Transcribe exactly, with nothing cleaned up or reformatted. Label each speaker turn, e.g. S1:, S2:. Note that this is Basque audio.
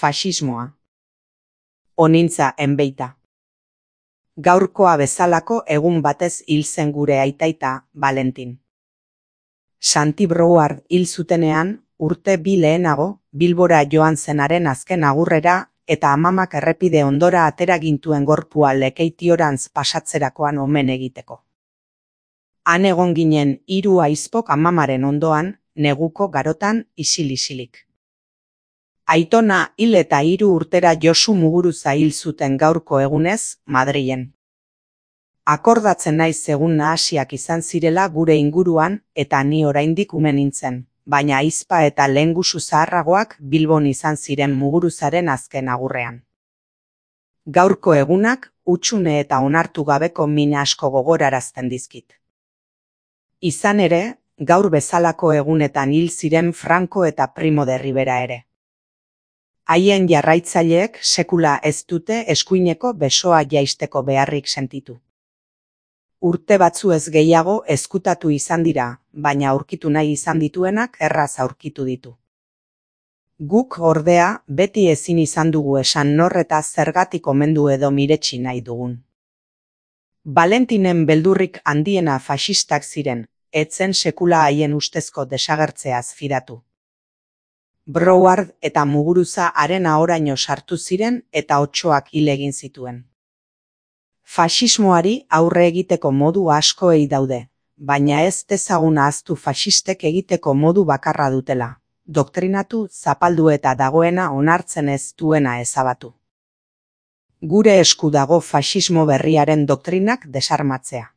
S1: Faxismoa. Onintza enbeita. Gaurkoa bezalako egun batez hil zen gure aitaita, Valentin. Santi Brouard hil zutenean, urte bi lehenago, Bilbora joan zenaren azken agurrera, eta amamak errepide ondora atera gintuen gorpua Lekeitiorantz pasatzerakoan omen egiteko. Han egon ginen hiru aizpok amamaren ondoan, neguko garotan isil-isilik. Aitona hil eta hiru urtera Josu Muguruza hil zuten gaurko egunez, Madrilen. Akordatzen naiz egun nahasiak izan zirela gure inguruan eta ni oraindik ume nintzen, baina ahizpa eta lehengusu zaharragoak Bilbon izan ziren Muguruzaren azken agurrean. Gaurko egunak hutsune eta onartu gabeko min asko gogorarazten dizkit. Izan ere, gaur bezalako egunetan hil ziren Franco eta Primo de Rivera ere. Haien jarraitzaileek sekula ez dute eskuineko besoa jaisteko beharrik sentitu. Urte batzu ez gehiago ezkutatu izan dira, baina aurkitu nahi izan dituenak erraz aurkitu ditu. Guk ordea beti ezin izan dugu esan nor eta zergatik omendu edo miretsi nahi dugun. Valentinen beldurrik handiena faxistak ziren, etzen sekula haien ustezko desagertzeaz fidatu. Brouard eta Muguruza haren ahoraino sartu ziren eta otsoak hil egin zituen. Faxismoari aurre egiteko modu askoei daude, baina ez dezagun ahaztu faxistek egiteko modu bakarra dutela, doktrinatu, zapaldu eta dagoena onartzen ez duena ezabatu. Gure esku dago faxismo berriaren doktrinak desarmatzea.